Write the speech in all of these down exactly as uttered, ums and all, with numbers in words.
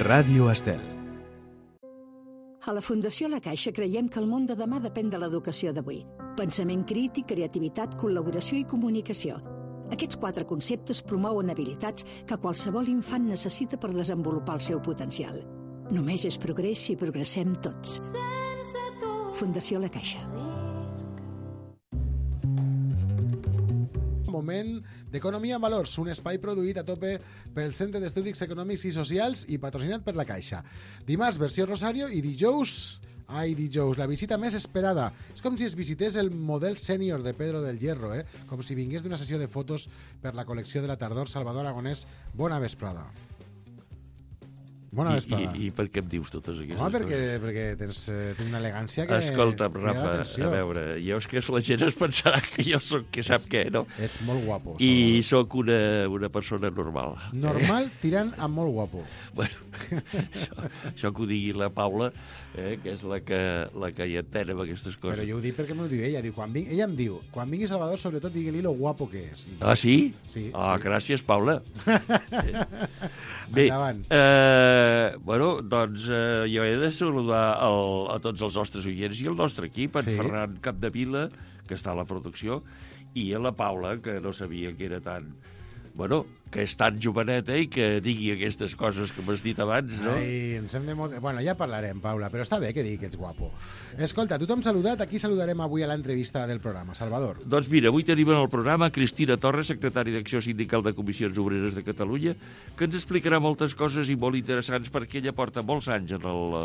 Ràdio Estel. A la Fundació La Caixa creiem que el món de demà depèn de l'educació d'avui. Pensament crític, creativitat, col·laboració i comunicació. Aquests quatre conceptes promouen habilitats que qualsevol infant necessita per desenvolupar el seu potencial. Només és progrés si progressem tots. Fundació La Caixa. Moment d'Economia en Valors, un espai produït a tope pel Centre d'Estudis Econòmics i Socials i patrocinat per la Caixa. Dimarts, versió Rosario, i dijous, ai, dijous, la visita més esperada. És com si es visités el model sènior de Pedro del Hierro, eh? Com si vingués d'una sessió de fotos per la col·lecció de la tardor. Salvador Aragonès, bona vesprada. Bona vesprada. I, i, I per què em dius totes aquestes Home, perquè, coses? perquè tens, eh, tens una elegància que... Escolta, Rafa, a veure, jo és que la gent es pensarà que jo soc que sap què, no? Ets molt guapo. I sóc una, una persona normal. Normal eh? Tirant a molt guapo. Bueno, això, això que ho digui la Paula, eh, que és la que, la que hi entén amb aquestes coses. Però jo ho dic perquè m'ho diu ella. Diu, quan ving... Ella em diu, quan vingui Salvador, sobretot digui-li lo guapo que és. I... Ah, sí? Sí. Ah, sí. Gràcies, Paula. Bé, endavant. Eh, bueno, doncs eh, jo he de saludar el, a tots els nostres oients i el nostre equip, en sí. Ferran Capdevila, que està a la producció, i a la Paula, que no sabia que era tan... Bueno, que és tan joveneta i que digui aquestes coses que m'has dit abans, no? Ai, ens hem de... Bueno, ja parlarem, Paula, però està bé que digui que ets guapo. Escolta, tothom saludat, aquí saludarem avui a l'entrevista del programa. Salvador. Doncs mira, avui tenim en el programa Cristina Torres, secretària d'Acció Sindical de Comissions Obreres de Catalunya, que ens explicarà moltes coses i molt interessants perquè ella porta molts anys en el,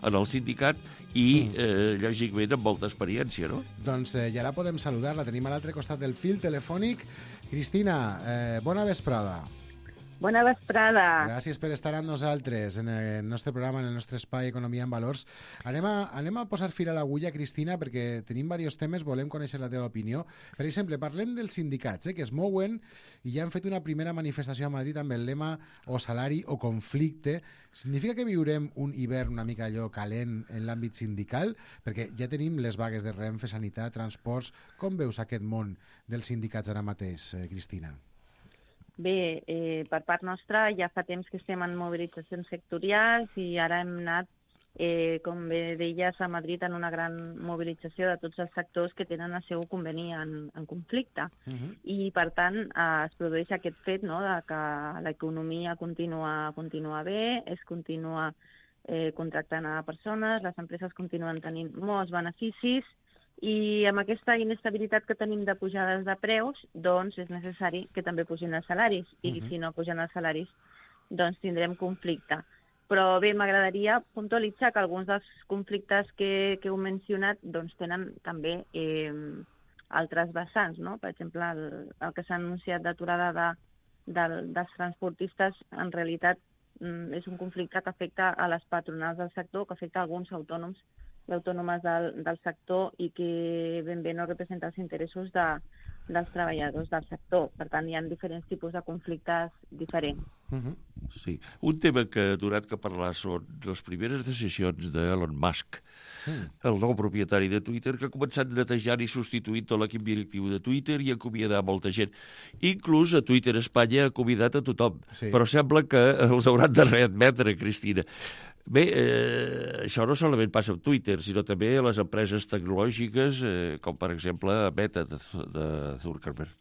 en el sindicat i, eh, lògicament, amb molta experiència, no? Doncs eh, ja la podem saludar, la tenim a l'altre costat del fil telefònic. Cristina, eh, bona vesprada. Bona vesprada. Gràcies per estar amb nosaltres en el nostre programa, en el nostre espai Economia en Valors. Anem a, anem a posar fil a l'agulla, Cristina, perquè tenim diversos temes, volem conèixer la teva opinió. Per exemple, parlem dels sindicats, eh, que es mouen i ja han fet una primera manifestació a Madrid amb el lema o salari o conflicte. Significa que viurem un hivern una mica allò calent en l'àmbit sindical? Perquè ja tenim les vagues de Renfe, Sanitat, Transports. Com veus aquest món dels sindicats ara mateix, eh, Cristina? Bé, eh, per part nostra ja fa temps que estem en mobilitzacions sectorials i ara hem anat, eh, com bé deies, a Madrid en una gran mobilització de tots els sectors que tenen el seu conveni en, en conflicte. Uh-huh. I, per tant, eh, es produeix aquest fet, no?, de que l'economia continua, continua bé, es continua eh, contractant a persones, les empreses continuen tenint molts beneficis, i amb aquesta inestabilitat que tenim de pujades de preus, doncs és necessari que també pugin els salaris. I uh-huh. si no pugen els salaris, doncs tindrem conflicte. Però bé, m'agradaria puntualitzar que alguns dels conflictes que, que heu mencionat doncs tenen també eh, altres vessants, no? Per exemple, el, el que s'ha anunciat d'aturada de, de, dels transportistes, en realitat mm, és un conflicte que afecta a les patronals del sector, que afecta a alguns autònoms i autònomes del, del sector i que ben bé no representa els interessos de, dels treballadors del sector. Per tant, hi ha diferents tipus de conflictes diferents. Uh-huh. Sí. Un tema que ha durat que parlar són les primeres decisions d'Elon Musk, mm. el nou propietari de Twitter, que ha començat netejant i substituint tot l'equip directiu de Twitter i acomiadar molta gent. Inclús a Twitter Espanya ha acomiadat a tothom. Sí. Però sembla que els hauran de readmetre, Cristina. Bé, eh, això no solament passa amb Twitter, sinó també a les empreses tecnològiques, eh, com per exemple Meta de, de Zuckerberg.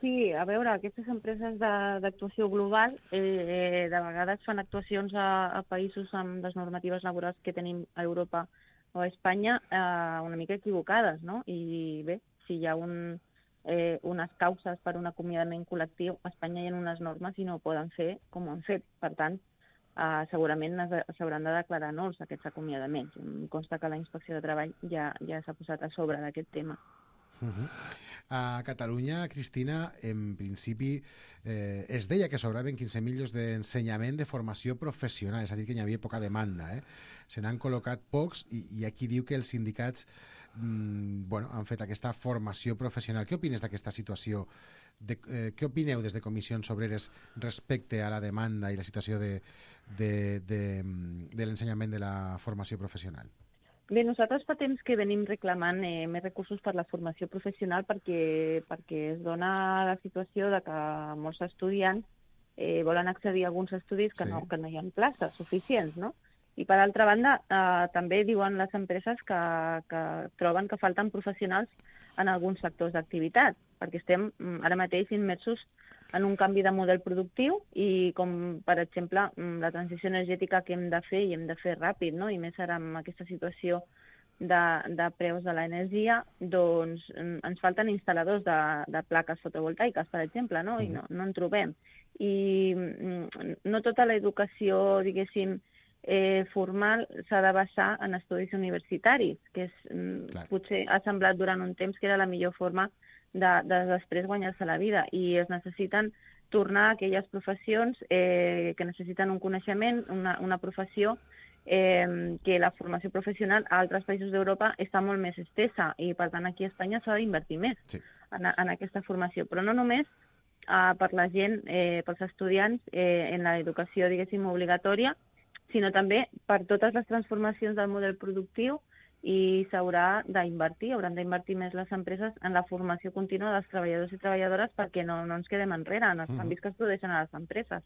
Sí, a veure, aquestes empreses d'actuació global eh, de vegades fan actuacions a, a països amb les normatives laborals que tenim a Europa o a Espanya eh, una mica equivocades, no? I bé, si hi ha un, eh, unes causes per un acomiadament col·lectiu, a Espanya hi ha unes normes i no ho poden fer com ho han fet. Per tant, Uh, segurament s'hauran de declarar nuls aquests acomiadaments. Em consta que la Inspecció de Treball ja, ja s'ha posat a sobre d'aquest tema. Uh-huh. A Catalunya, Cristina, en principi eh, es deia que sobraven quinze mil llocs d'ensenyament de formació professional, és a dir, que hi havia poca demanda. Eh? Se n'han col·locat pocs i, i aquí diu que els sindicats mm, bueno, han fet aquesta formació professional. Què opines d'aquesta situació? De, eh, què opineu des de Comissions Obreres respecte a la demanda i la situació de, de, de, de l'ensenyament de la formació professional? Bé, nosaltres fa temps que venim reclamant eh, més recursos per la formació professional perquè, perquè es dona la situació de que molts estudiants eh, volen accedir a alguns estudis que, Sí. no, que no hi ha places suficients, no? I, per altra banda, eh, també diuen les empreses que, que troben que falten professionals en alguns sectors d'activitat, perquè estem mm, ara mateix immersos en un canvi de model productiu i com, per exemple, la transició energètica que hem de fer i hem de fer ràpid, no? I més ara amb aquesta situació de, de preus de l'energia, doncs ens falten instal·ladors de, de plaques fotovoltaiques, per exemple, no? I no, no en trobem. I no tota l'educació, diguéssim, eh, formal s'ha de basar en estudis universitaris, que és, Clar. potser ha semblat durant un temps que era la millor forma de, de després guanyar-se la vida, i es necessiten tornar a aquelles professions eh, que necessiten un coneixement, una, una professió eh, que la formació professional a altres països d'Europa està molt més estesa, i per tant aquí a Espanya s'ha d'invertir més Sí. en, en aquesta formació, però no només eh, per la gent, eh, pels estudiants eh, en l'educació, diguéssim, obligatòria, sinó també per totes les transformacions del model productiu, i s'haurà d'invertir, hauran d'invertir més les empreses en la formació contínua dels treballadors i treballadores perquè no, no ens quedem enrere en els Mhm. canvis que es produeixen a les empreses.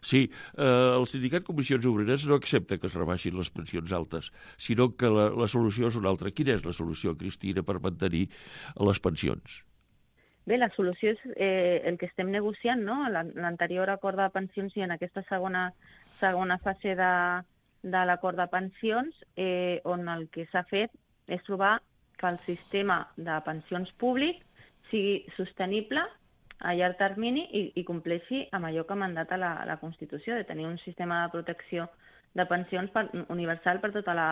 Sí, eh, el sindicat Comissions Obreres no accepta que es rebaixin les pensions altes, sinó que la, la solució és una altra. Quina és la solució, Cristina, per mantenir les pensions? Bé, la solució és eh, el que estem negociant, no? L'anterior acord de pensions i en aquesta segona, segona fase de, de l'acord de pensions, eh, on el que s'ha fet és trobar que el sistema de pensions públic sigui sostenible a llarg termini i, i compleixi amb allò que mandata la, la Constitució, de tenir un sistema de protecció de pensions per, universal per tota la,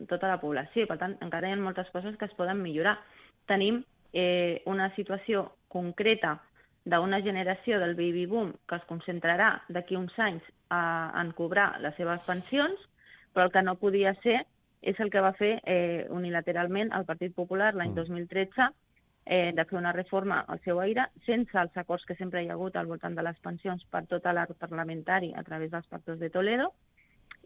tota la població. Per tant, encara hi ha moltes coses que es poden millorar. Tenim eh, una situació concreta d'una generació del baby boom que es concentrarà d'aquí uns anys a, en cobrar les seves pensions, però el que no podia ser és el que va fer eh, unilateralment el Partit Popular l'any dos mil tretze, eh, de fer una reforma al seu aire, sense els acords que sempre hi ha hagut al voltant de les pensions per tot l'arc parlamentari a través dels pactes de Toledo,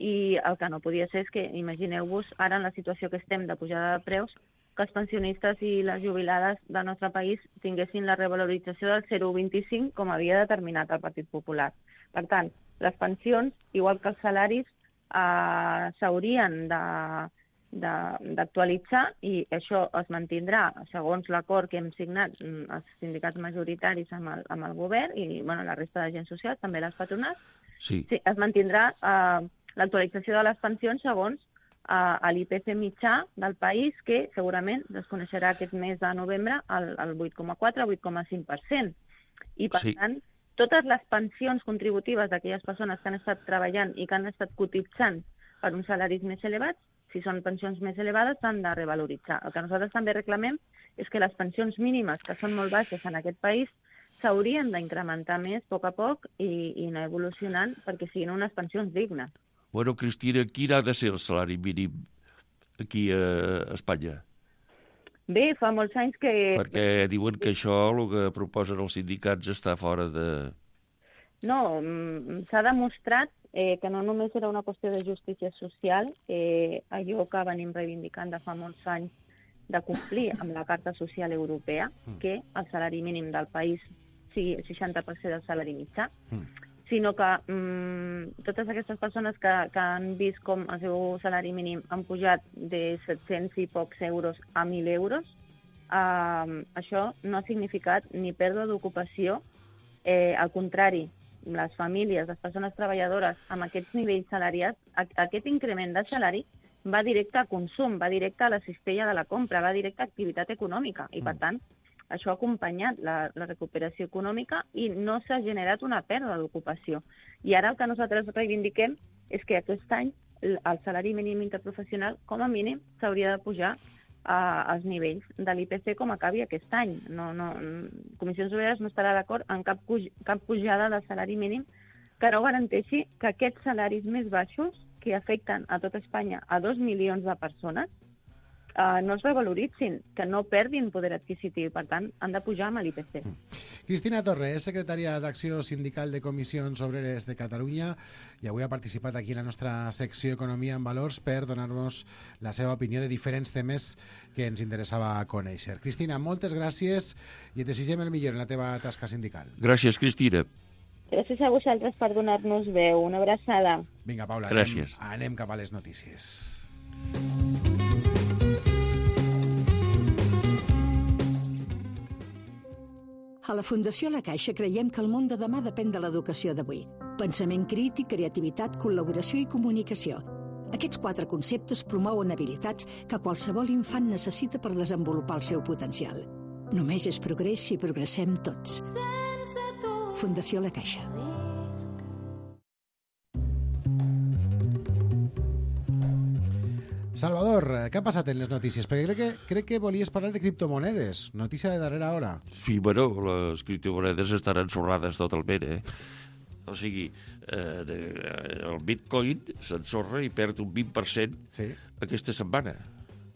i el que no podia ser és que, imagineu-vos, ara en la situació que estem de pujada de preus, que els pensionistes i les jubilades del nostre país tinguessin la revalorització del zero coma vint-i-cinc com havia determinat el Partit Popular. Per tant, les pensions, igual que els salaris, eh, s'haurien de, de, d'actualitzar, i això es mantindrà segons l'acord que hem signat els sindicats majoritaris amb el, amb el govern i bueno, la resta d'agents socials, també les patronals. Sí. Sí, es mantindrà eh, l'actualització de les pensions segons a l'I P C mitjà del país, que segurament es coneixerà aquest mes de novembre al vuit coma quatre a vuit coma cinc per cent. I, per Sí. tant, totes les pensions contributives d'aquelles persones que han estat treballant i que han estat cotitzant per uns salaris més elevats, si són pensions més elevades, s'han de revaloritzar. El que nosaltres també reclamem és que les pensions mínimes, que són molt baixes en aquest país, s'haurien d'incrementar més a poc a poc i, i anar evolucionant perquè siguin unes pensions dignes. Bueno, Cristina, quin ha de ser el salari mínim aquí a Espanya? Bé, fa molts anys que... Perquè diuen que això, el que proposen els sindicats, està fora de... No, s'ha demostrat eh, que no només era una qüestió de justícia social, eh, allò que venim reivindicant de fa molts anys de complir amb la Carta Social Europea, que el salari mínim del país sigui el seixanta per cent del salari mitjà, sinó que mm, totes aquestes persones que, que han vist com el seu salari mínim han pujat de set-cents i pocs euros a mil euros, eh, això no ha significat ni pèrdua d'ocupació, eh, al contrari, les famílies, les persones treballadores amb aquests nivells salarials, aquest increment de salari va directe a consum, va directe a la cistella de la compra, va directe a activitat econòmica, i per tant, això ha acompanyat la, la recuperació econòmica i no s'ha generat una pèrdua d'ocupació. I ara el que nosaltres reivindiquem és que aquest any el salari mínim interprofessional, com a mínim, s'hauria de pujar a, als nivells de l'I P C com acabi aquest any. No, no, Comissions Obreres no estarà d'acord en cap, cap pujada del salari mínim que no garanteixi que aquests salaris més baixos, que afecten a tot Espanya a dos milions de persones, Uh, no es revaloritzin, que no perdin poder adquisitiu, per tant, han de pujar amb l'I P C. Cristina Torre és secretària d'Acció Sindical de Comissions Obreres de Catalunya i avui ha participat aquí en la nostra secció Economia en Valors per donar-nos la seva opinió de diferents temes que ens interessava conèixer. Cristina, moltes gràcies i et desitgem el millor en la teva tasca sindical. Gràcies, Cristina. Gràcies a vosaltres per donar-nos veu. Una abraçada. Vinga, Paula, Gràcies. Anem, anem cap a les notícies. A la Fundació La Caixa creiem que el món de demà depèn de l'educació d'avui. Pensament crític, creativitat, col·laboració i comunicació. Aquests quatre conceptes promouen habilitats que qualsevol infant necessita per desenvolupar el seu potencial. Només és progrés si progressem tots. Fundació La Caixa. Salvador, què ha passat en les notícies? Perquè crec que, crec que volies parlar de criptomonedes. Notícia de darrera hora. Sí, bueno, les criptomonedes estan ensorrades totalment, eh? O sigui, eh, el Bitcoin s'ensorra i perd un vint per cent sí. aquesta setmana.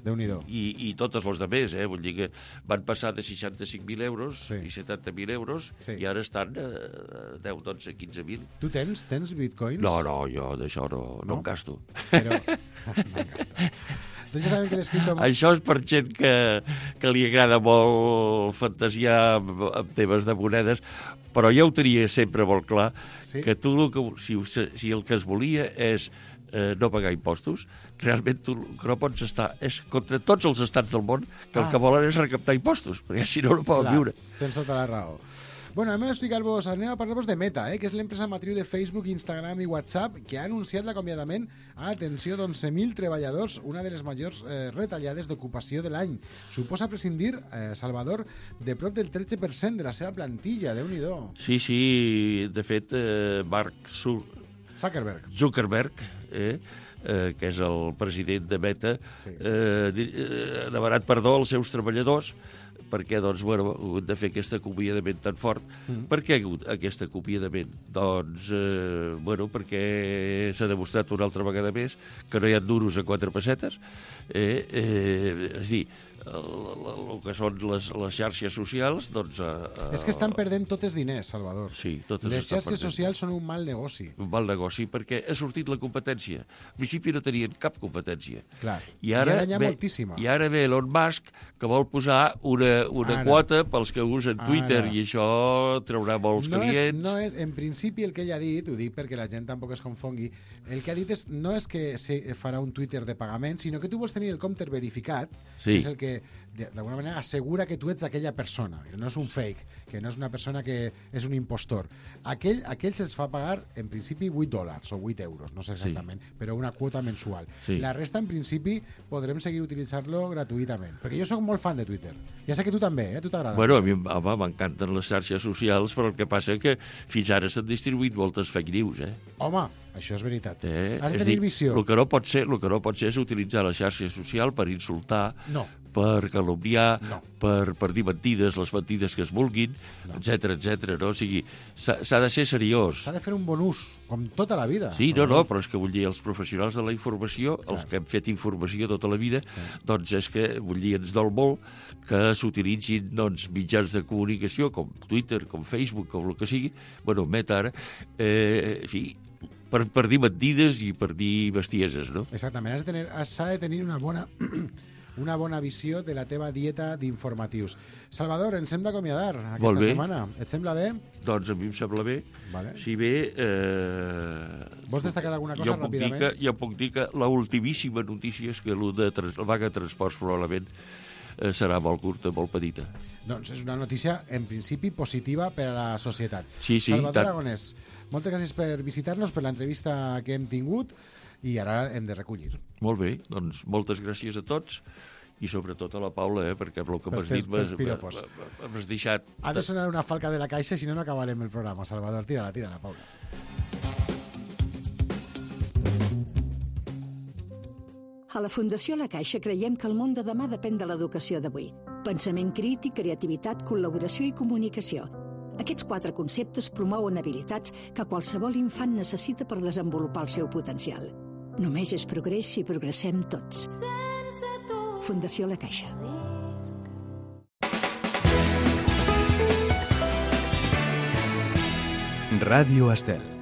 Déu-n'hi-do. I, i totes les de més, eh? Vull dir que van passar de seixanta-cinc mil euros sí. i setanta mil euros sí. i ara estan a deu, dotze, quinze mil. Tu tens, tens bitcoins? No, no, jo d'això no, no, no em gasto. Però... no em gasto. Doncs ja sabem que les criptomonedes... Això és per gent que, que li agrada molt fantasiar amb, amb temes de monedes, però jo ho tenia sempre molt clar, sí? que tu, el que, si, si el que es volia és eh, no pagar impostos, realment tu que no pots estar... És contra tots els estats del món que ah. el que volen és recaptar impostos, perquè si no no poden Clar, viure. Tens tota la raó. Bueno, anem a explicar-vos, anem a parlar-vos de Meta, eh, que és l'empresa matriu de Facebook, Instagram i WhatsApp, que ha anunciat l'acomiadament a atenció d'onze mil treballadors, una de les majors eh, retallades d'ocupació de l'any. Suposa prescindir, eh, Salvador, de prop del tretze per cent de la seva plantilla, Déu-n'hi-do. Sí, sí, de fet, eh, Mark Zuckerberg, Zuckerberg eh, eh, que és el president de Meta, sí. eh, ha demanat perdó als seus treballadors perquè, doncs, bueno, ha hagut de fer aquest acomiadament tan fort. Mm. Per què ha hagut aquest acomiadament? Doncs, eh, bueno, perquè s'ha demostrat una altra vegada més que no hi ha duros a quatre pessetes. Eh, eh, és a dir, el, el, el que són les, les xarxes socials, doncs... Eh, és que estan perdent tots els diners, Salvador. Sí, totes les estan xarxes perdent. socials són un mal negoci. Un mal negoci, perquè ha sortit la competència. Al principi no tenien cap competència. Clar. I ara, I ara hi ha ve, moltíssima. I ara ve Elon Musk, que vol posar una, una quota pels que usen Twitter, ara. I això traurà molts no clients. És, no és, en principi, el que ell ha dit, ho dic perquè la gent tampoc es confongui, el que ha dit és, no és que se farà un Twitter de pagament, sinó que tu vols tenir el compte verificat, sí. que és el que, d'alguna manera, assegura que tu ets aquella persona, que no és un fake, que no és una persona que és un impostor. Aquell, aquell se'ls fa pagar, en principi, vuit dòlars o vuit euros, no sé exactament, sí. però una quota mensual. Sí. La resta, en principi, podrem seguir utilitzar-lo gratuïtament. Perquè jo sóc molt fan de Twitter. Ja sé que tu també, eh? Tu t'agrada. Bueno, a mi m'encanten les xarxes socials, però el que passa que fins ara s'han distribuït moltes fake news, eh? Home, això és veritat. Eh? Has de és tenir dir, visió. El que no pot ser, el que no pot ser és utilitzar la xarxa social per insultar, no. per calumniar, no. per, per dir mentides, les mentides que es vulguin, no. etcètera, etcètera. No? O sigui, s'ha de ser seriós. S'ha de fer un bon ús, com tota la vida. Sí, no, no, però és que vull dir, els professionals de la informació, Clar. els que hem fet informació tota la vida, Clar. doncs és que, vull dir, ens dol molt que s'utilitzin doncs, mitjans de comunicació com Twitter, com Facebook, com el que sigui, bueno, Meta ara, eh, en fi, per, per dir mentides i per dir bestieses, no? Exactament, has de tenir, s'ha de tenir una bona... una bona visió de la teva dieta d'informatius. Salvador, ens hem d'acomiadar aquesta setmana. Et sembla bé? Doncs a mi em sembla bé. Vale. Si bé... Eh, Vols destacar alguna cosa jo ràpidament? Puc dir que, jo puc dir que l'ultimíssima notícia és que el de trans, la vaga de transports probablement eh, serà molt curta, molt petita. Doncs és una notícia, en principi, positiva per a la societat. Sí, sí, Salvador tant. Aragonès, moltes gràcies per visitar-nos, per l'entrevista que hem tingut, i ara hem de recollir. Molt bé, doncs moltes gràcies a tots i sobretot a la Paula, eh, perquè amb el que m'has dit m'has deixat... Ha de sonar una falca de la caixa, si no, no acabarem el programa. Salvador, tira-la, tira-la, Paula. A la Fundació La Caixa creiem que el món de demà depèn de l'educació d'avui. Pensament crític, creativitat, col·laboració i comunicació. Aquests quatre conceptes promouen habilitats que qualsevol infant necessita per desenvolupar el seu potencial. Només és progrés si progressem tots. Fundació La Caixa. Ràdio Estel.